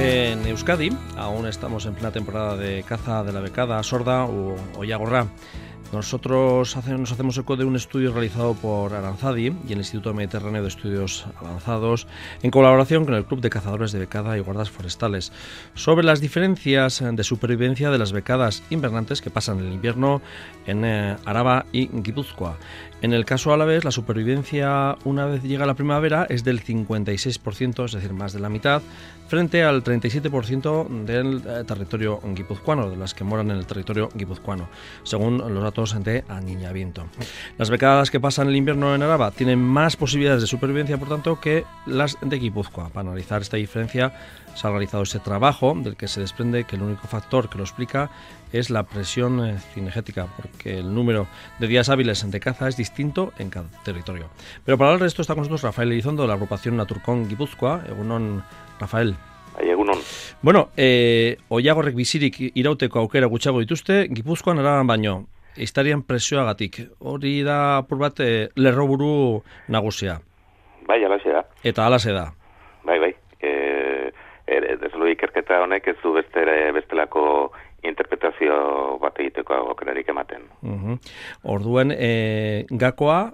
En Euskadi aún estamos en plena temporada de caza de la becada sorda o ollagorra. Nosotros nos hacemos eco de un estudio realizado por Aranzadi y el Instituto Mediterráneo de Estudios Avanzados en colaboración con el Club de Cazadores de Becada y Guardas Forestales sobre las diferencias de supervivencia de las becadas invernantes que pasan el invierno en Araba y Guipúzcoa. En el caso alavés, la supervivencia una vez llega la primavera es del 56%, es decir, más de la mitad, frente al 37% del territorio guipuzcoano, de las que moran en el territorio guipuzcoano, según los datos de Aniñamiento. Las becadas que pasan el invierno en Araba tienen más posibilidades de supervivencia, por tanto, que las de Guipúzcoa. Para analizar esta diferencia se ha realizado ese trabajo del que se desprende que el único factor que lo explica es la presión cinegética, porque el número de días hábiles de caza es distinto en cada territorio. Pero para hablar de esto está con nosotros Rafael Elizondo, de la agrupación Naturcon Guipúzcoa. Egunon, Rafael. Egunon. Bueno, ollagorrek bizirik irauteko aukera gutxiago dituzte, Gipuzkoan Araban baino, ehiztarien presioagatik. Hori da apur bat lerroburu nagusia. Bai, alaxe da. Eta alaxe da. Bai. Deslo ikerketa honek ez du bestelako interpretazio bat egiteko aukerarik ematen. Orduen, gakoa,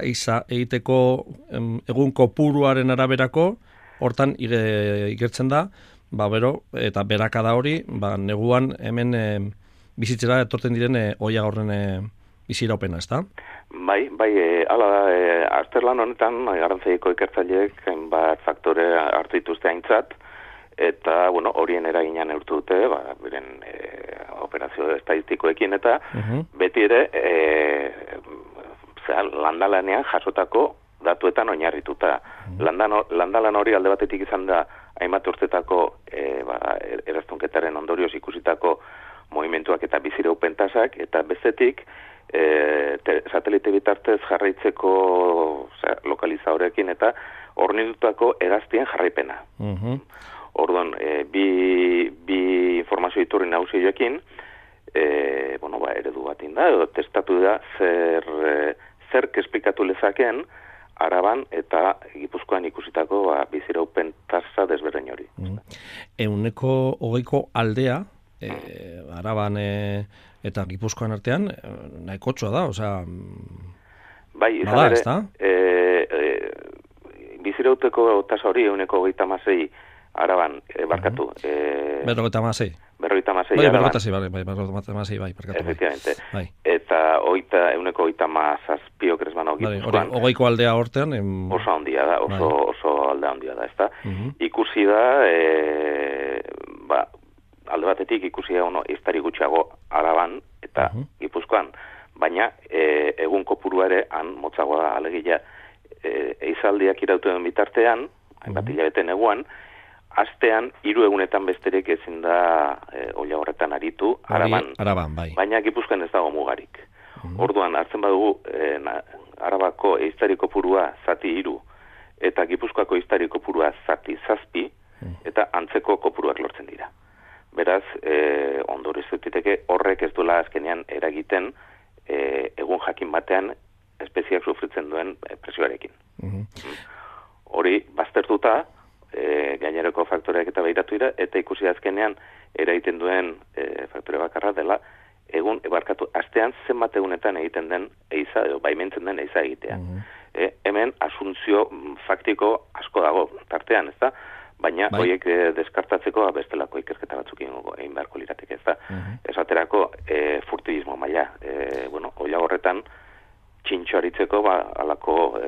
iza egiteko egun kopuruaren araberako, hortan igertzen da, eta berakada hori, neguan hemen bizitzera etorten diren ollagorren biziraupena, ez da? Bai, hala da, azterlan honetan, Arantzadiko ikertzaileek hainbat faktore hartu dituzte aintzat, eta, horien eraginan neurtu dute, beren operazio estadistikoekin, eta beti ere, landalanean jasotako datuetan oinarrituta. Landalan hori alde batetik izan da, hainbat urtetako eraztunketaren ondorioz ikusitako movimentuak eta biziraupen tasak, eta bestetik, satelite bitartez jarraitzeko lokalizadorekin eta hornitutako hegaztien jarraipena. Orduan, bi informazio iturri nagusioekin, eredu bat inda, edo testatu da zer esplikatu lezakeen Araban eta Gipuzkoan ikusitako biziraupen tasa desberdin hori. 20% aldea, Araban eta Gipuzkoan artean, nahikotxoa da, osea... Bai, izan ere, bizirauteko tasa hori 20% Araban, barkatu. 56. 56. Bai, barkatu. Efectivamente. Eta 20% okresmano Gipuzkoan. 20% aldea hortean... Oso handia da, oso aldea handia da, ezta? Ikusi da, alde batetik ikusi da ehiztari gutxiago Araban eta Gipuzkoan, baina egun kopurua ere han motzagoa da, alegia ehizaldiak irauten bitartean, hainbat hilabete neguan, astean 3 egunetan besterik ezin da ollagorretan aritu Araban, bai. Baina Gipuzkoan ez dago mugarik. Orduan hartzen badugu Arabako ehiztari kopurua zati 3 eta Gipuzkoako ehiztari kopurua zati 7 eta antzeko kopuruak lortzen dira. Beraz, ondorioz diteke horrek ez duela azkenean eragiten egun jakin batean espeziak sufritzen duen presioarekin. Hori baztertuta, gainerako faktoreak eta behiratu dira, eta ikusi azkenean eragiten duen faktore bakarra dela astean zenbat egunetan egiten den eiza, edo baimentzen den eiza egitea. Hemen asuntzio faktiko asko dago tartean, ez da? Baina horiek deskartatzeko bestelako ikerketa batzuk egin beharko lirateke, ez da? Esaterako furtivismo maila. Ollagorretan txintxoaritzeko alako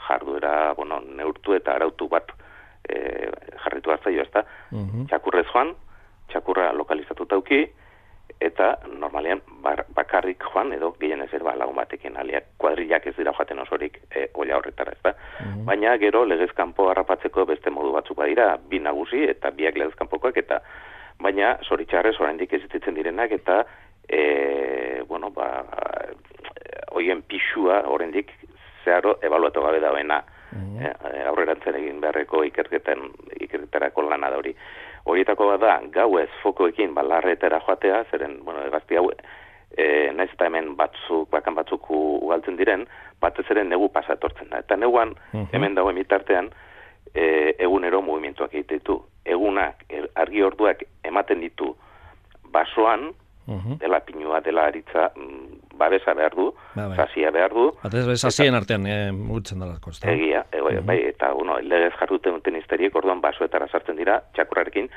jarduera neurtu eta arautu bat jarritu hartzaio, ez da? Txakurrez joan, txakurra lokalizatuta uki, eta normalean bakarrik joan edo gehienez lagun batekin aliak kuadrillak ez dira joaten osorik olla horretara, ez da? Baina gero legezkanpo harrapatzeko beste modu batzuk badira, 2 nagusi eta 2 legezkanpokoak, eta baina zoritxarrez oraindik existitzen direnak eta hoien pixua oraindik zeharo ebaluatu gabe dagoena aurrerantzen egin beharreko ikerketarako lana da hori. Horietako bat da, gauez fokoekin larretara joatea, zeren, egazti hau, naiz eta hemen bakan batzuk ugaltzen diren, batez ere negu pasatortzen da. Eta neguan, hemen dagoen bitartean, egunero mugimenduak egiten ditu. Egunak, argi orduak ematen ditu basoan, dela pinua, dela aritza, babesa behar du, sasia behar du. Sasien artean mugitzen dela. Egia, bai, eta legez jarruten duten izteriek orduan basoetara sartzen dira, txakurrarekin,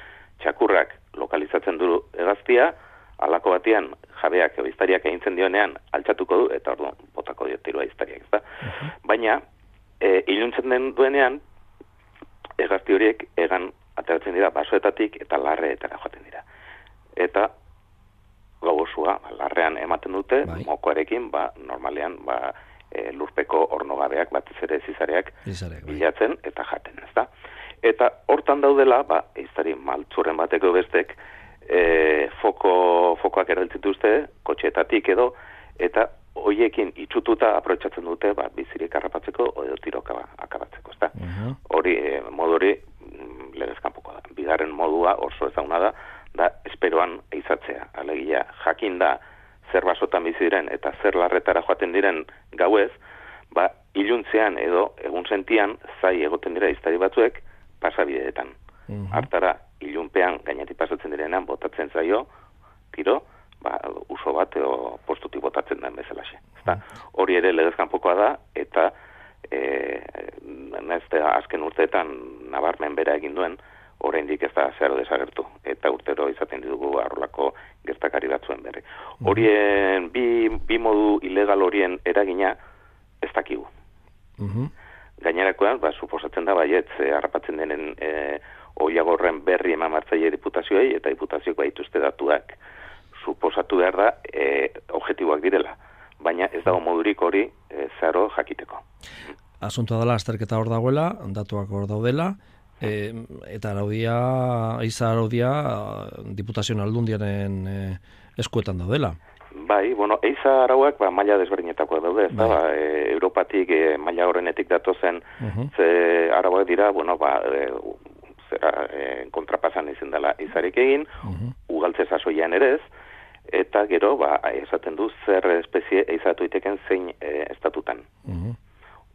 txakurrak lokalizatzen du hegaztia, halako batean jabeak edo iztariak egintzen dionean altxatuko du, eta orduan botako dio tirua iztariak, ezta? Baina, iluntzen den duenean, hegazti horiek egan ateratzen dira basoetatik eta larreetara joaten dira. Eta gau osua, larrean ematen dute, mokoarekin, normalean, lurpeko ornogabeak, batez ere zizareak bilatzen eta jaten, ezta? Eta hortan daudela, iztari maltzurren bateko bestek, fokoak erabiltzen dituzte, kotxeetatik edo, eta hoiekin itxututa aprobetxatzen dute, bizirik harrapatzeko edo tiroka akabatzeko, ezta? Modu hori legezkanpoko da. Bigarren modua oso ezaguna da esperoan eizatzea. Alegia, jakin da zer basotan bizi diren eta zer larretara joaten diren gauez, iluntzean edo egun sentian zai egoten dira iztari batzuek pasabideetan. Hartara, ilunpean gainetik pasatzen direnean botatzen zaio, tiro, uso bat edo postutik botatzen den bezalaxe. Hori ere legezkanpokoa da, eta azken urteetan nabarmen bera egin duen, oraindik ez da zeharo desagertu, eta urtero izaten ditugu arrolako gertakari batzuen berri. Horien, bi modu ilegal horien eragina ez dakigu. Gainerakoan, suposatzen da baietz, harrapatzen denen oiagorren berri eman martzaile diputazioei, eta diputazioko baituzte datuak suposatu behar da objektiboak direla. Baina ez dago modurik hori zeharo jakiteko. Asuntoa dela, azterketa hor dagoela, datuak hor daudela, eta eiza araudia diputazioen aldundiaren eskuetan daudela. Bai, eiza arauak maila desberdinetakoak daude, Europatik maila horrenetik datozen arauak dira, kontrapasan izin dela eizarik egin, ugaltze sasoian ere ez, eta gero, esaten du zer espezie eizatu iteken zein estatutan.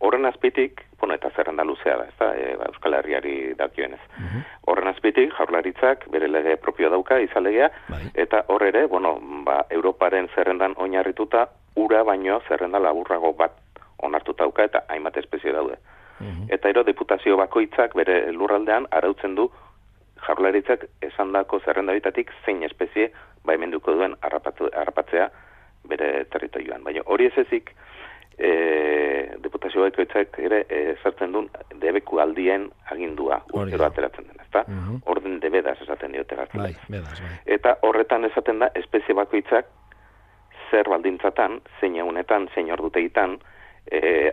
Horren azpitik, eta zerrenda luzea da, Euskal Herriari dakioenez. Horren azpitik, jaurlaritzak bere lege propio dauka, izalegea, eta hor ere, Europaren zerrendan oinarrituta, ura baino zerrenda laburrago bat onartuta dauka, eta hainbat espezie daude. Eta diputazio bakoitzak bere lurraldean arautzen du jaurlaritzak esandako zerrenda bitatik zein espezie baimenduko duen harrapatzea bere territorioan. Baina hori ez ezik, diputazio bakoitzak ere sartzen duen debeku aldien agindua urtero ateratzen den, ezta? Orden de bedas esaten diote gaztelaz. Eta horretan esaten da espezie bakoitzak zer baldintzatan, zein egunetan, zein ordutegitan,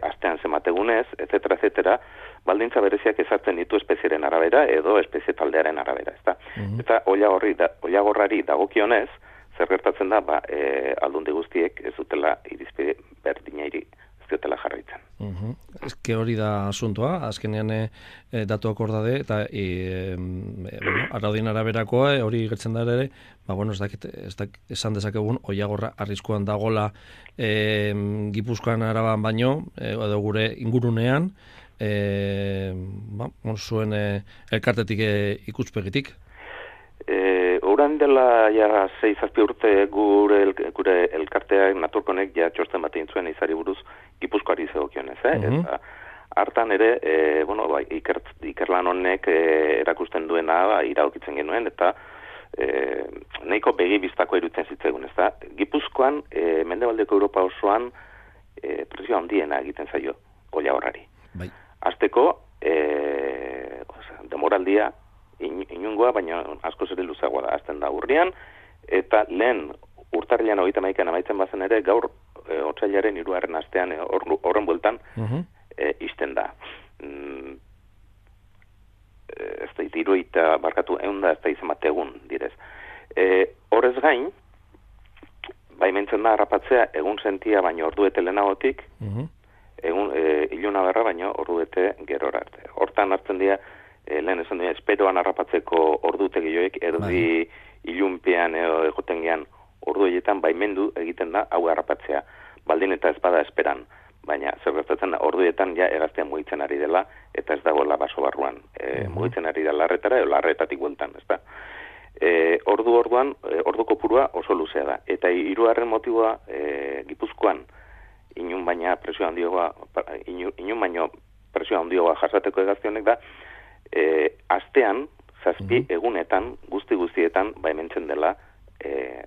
astean zemategunez, etc., baldintza bereziak ezartzen ditu espezieren arabera edo espezie taldearen arabera, ezta? Eta oiagorrari dagokionez, zer gertatzen da, aldundi guztiek ez dutela irizpide berdinairi ez dutela jarraitzen. Eske hori da asuntoa, azkenean datuak hor daude, eta araudien araberakoa hori gertzen da ere, ez dakit esan dezakegun oiagorra arriskuan dagola Gipuzkoan Araban baino, edo gure ingurunean, zuen elkartetik ikuspegitik. Orain dela 6-7 urte gure elkarteak naturkonek txosten bat egin zuen izari buruz Gipuzkoari zegokionez, eta hartan ere, ikerlan honek erakusten duena iradokitzen genuen, eta nahiko begi biztako iruditzen zitzegun, ezta? Gipuzkoan, mendebaldeko Europa osoan presio handiena egiten zaio oiagorrari. Azteko, demoraldia inungoa, baina asko ere luzeagoa da, azten da urrian, eta lehen urtarrilean 31 amaitzen bazen ere, gaur otsailaren 3. astean horren bueltan izten da. Ez da, 3 barkatu egun da, ez da izan bat egun direz. Horrez gain, baimentzen da harrapatzea egun sentia baino orduete lehenagotik, iluna berra baino orduete gerora arte. Hortan hartzen dira, lehen esan dira, esperoan harrapatzeko ordutegioek erdi ilunpean egoten gean ordu horietan baimendu egiten da hau harrapatzea, baldin eta ez bada esperan. baina zer gertatzen da, orduetan ja hegaztia mugitzen ari dela, eta ez dagoela baso barruan. Mugitzen ari da larretara, edo larretatik bueltan, ez da. Ordu kopurua oso luzea da. Eta hirugarren motiboa, Gipuzkoan, inun baino presio handioa jasateko hegazti honek da, astean, 7 egunetan, guztietan, baimentzen dela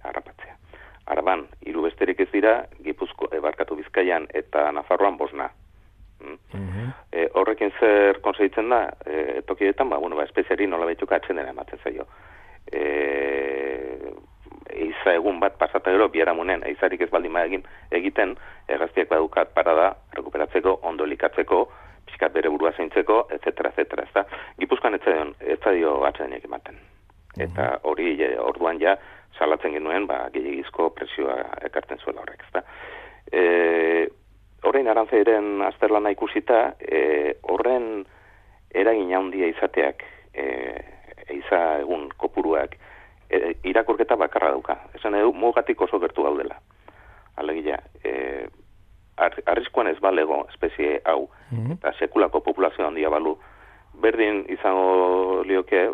harrapatzea. Araban, 3 besterik ez dira, Bizkaian eta Nafarroan 5. Horrekin zer konseitzen da, tokietan, espeziari nola behituka atzen dena ematen zaio. Eiza egun bat pasata gero, biharamunen, eizarik ez baldin egiten, hegaztiak badukat parada, rekuperatzeko, ondo elikatzeko, pixkat bere burua zaintzeko, etc. ezta. Gipuzkoan ez zaio atsedenik ematen. Eta hori orduan ja salatzen genuen, gehiagizko presioa ekartzen zuela horrek, ezta. Horrein Arantzadiren azterlana ikusita, horren eragin handia izateak, eiza egun kopuruak, irakurketa bakarra dauka. Esan edo, mugatik oso gertu gaudela. Alegia, arriskuan ez balego espezie hau, eta sekulako populazio handia balu, berdin izango lioke,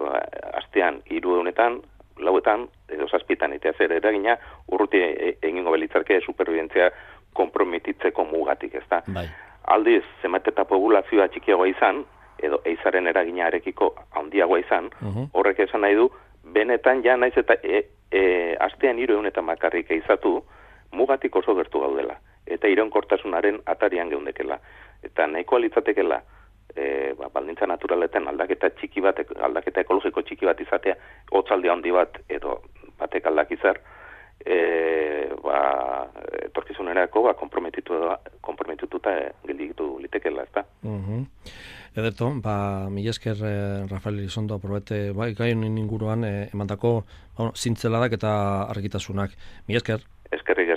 astean 300, 4, edo 7, eta zer eragina urruti egingo belitzarke superbibentzia konprometitzeko mugatik, ezta? Bai. Aldiz, zenbait eta populazioa txikiagoa izan, edo eizaren eragina arekiko handiagoa izan, horrek esan nahi du, benetan ja naiz eta astean 300 bakarrik eizatu, mugatik oso gertu gaudela. Eta iraunkortasunaren atarian geundekela. Eta nahikoa litzatekela, baldintza naturaletan aldaketa ekologiko txiki bat izatea, hotzaldi handi bat edo batek aldakizar, etorkizunerako konprometituta gelditu litekela, ezta? Ederto, mila esker Rafael Elizondo aprobete gaien inguruan emandako zintzeladak eta argitasunak. Mila esker. Eskerrik